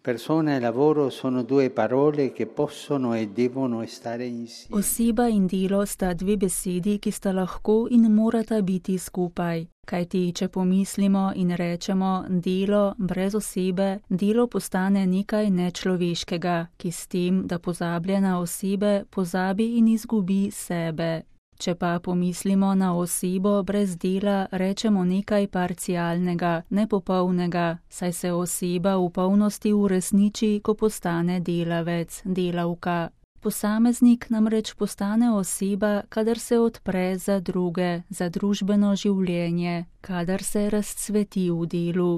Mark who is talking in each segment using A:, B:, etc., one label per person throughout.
A: Persona e lavoro sono due parole che possono e devono stare insieme.
B: Oseba in delo sta dve besedi, ki sta lahko in morata biti skupaj. Kajti, če pomislimo in rečemo delo brez osebe, delo postane nekaj nečloveškega, ki s tem, da pozablja na osebe, pozabi in izgubi sebe. Če pa pomislimo na osebo brez dela, rečemo nekaj parcialnega, nepopolnega, saj se oseba v polnosti uresniči, ko postane delavec, delavka. Posameznik namreč postane oseba, kadar se odpre za druge, za družbeno življenje, kadar se razcveti v delu.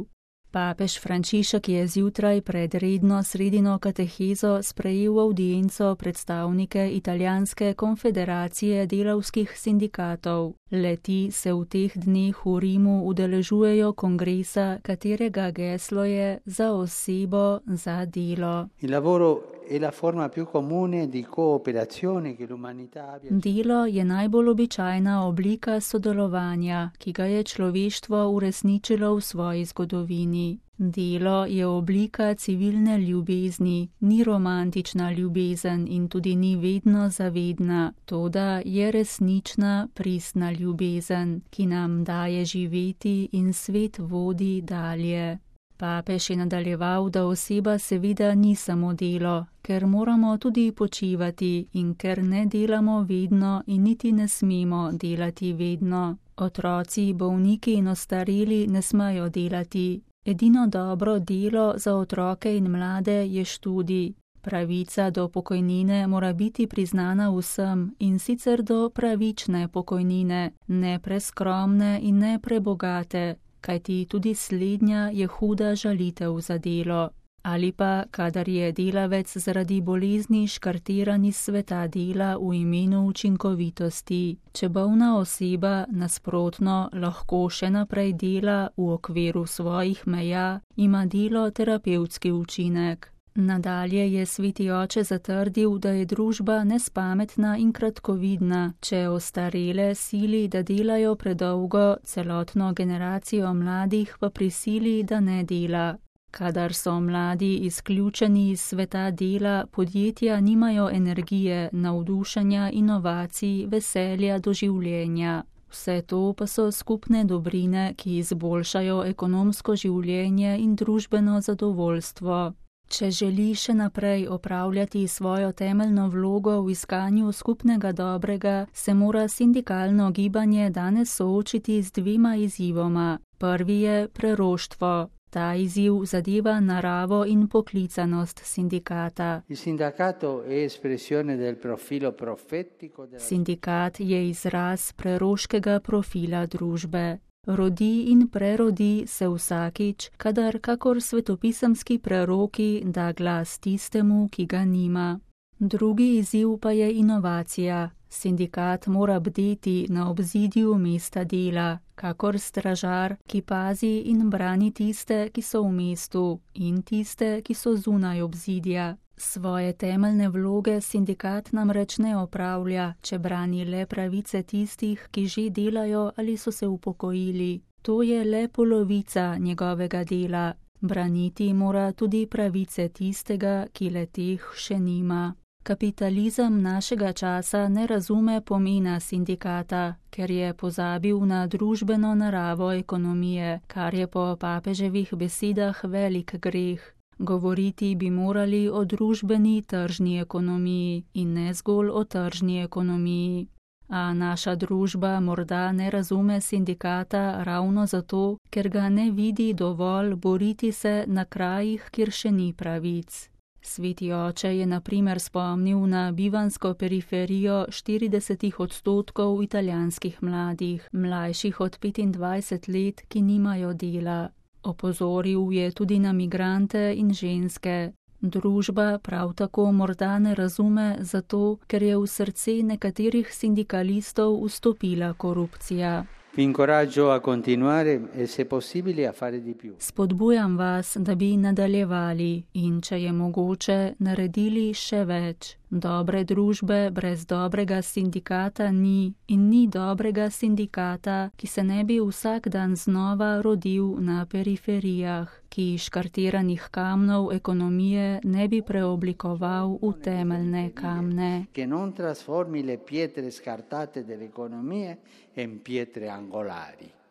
B: Papež Frančišek je zjutraj pred redno sredino katehezo sprejel avdienco predstavnike Italijanske konfederacije delavskih sindikatov. Le-ti se v teh dneh v Rimu udeležujejo kongresa, katerega geslo je za osebo, za delo. Delo je najbolj običajna oblika sodelovanja, ki ga je človeštvo uresničilo v svoji zgodovini. Delo je oblika civilne ljubezni, ni romantična ljubezen in tudi ni vedno zavedna, toda je resnična, pristna ljubezen, ki nam daje živeti in svet vodi dalje. Papež je nadaljeval, da oseba seveda ni samo delo, ker moramo tudi počivati in ker ne delamo vedno in niti ne smemo delati vedno. Otroci, bolniki in ostareli ne smejo delati. Edino dobro delo za otroke in mlade je študij. Pravica do pokojnine mora biti priznana vsem in sicer do pravične pokojnine, ne preskromne in ne prebogate, kajti tudi slednja je huda žalitev za delo. Ali pa, kadar je delavec zaradi bolezni škartiran iz sveta dela v imenu učinkovitosti. Če bolna oseba nasprotno lahko še naprej dela v okviru svojih meja, ima delo terapevtski učinek. Nadalje je sveti oče zatrdil, da je družba nespametna in kratkovidna, če ostarele sili, da delajo predolgo, celotno generacijo mladih pa prisili, da ne dela. Kadar so mladi izključeni iz sveta dela, podjetja nimajo energije, navdušenja, inovacij, veselja do življenja. Vse to pa so skupne dobrine, ki izboljšajo ekonomsko življenje in družbeno zadovoljstvo. Če želi še naprej opravljati svojo temeljno vlogo v iskanju skupnega dobrega, se mora sindikalno gibanje danes soočiti z dvema izzivoma. Prvi je preroštvo. Ta izziv zadeva naravo in poklicanost sindikata. Sindikat je izraz preroškega profila družbe. Rodi in prerodi se vsakič, kadar kakor svetopisemski preroki da glas tistemu, ki ga nima. Drugi izziv pa je inovacija. Sindikat mora bdeti na obzidju mesta dela, kakor stražar, ki pazi in brani tiste, ki so v mestu, in tiste, ki so zunaj obzidja. Svoje temeljne vloge sindikat namreč ne opravlja, če brani le pravice tistih, ki že delajo ali so se upokojili. To je le polovica njegovega dela. Braniti mora tudi pravice tistega, ki le teh še nima. Kapitalizem našega časa ne razume pomena sindikata, ker je pozabil na družbeno naravo ekonomije, kar je po papeževih besedah velik greh. Govoriti bi morali o družbeni tržni ekonomiji in ne zgolj o tržni ekonomiji. A naša družba morda ne razume sindikata ravno zato, ker ga ne vidi dovolj boriti se na krajih, kjer še ni pravic. Sveti oče je na primer spomnil na bivansko periferijo 40% italijanskih mladih, mlajših od 25 let, ki nimajo dela. Opozoril je tudi na migrante in ženske. Družba prav tako morda ne razume zato, ker je v srce nekaterih sindikalistov vstopila korupcija. Spodbujam vas, da bi nadaljevali in, če je mogoče, naredili še več. Dobre družbe brez dobrega sindikata ni in ni dobrega sindikata, ki se ne bi vsak dan znova rodil na periferijah, ki škartiranih kamnov ekonomije ne bi preoblikoval v temeljne kamne.
A: Che non trasformi le pietre scartate dell'economia in pietre angolari.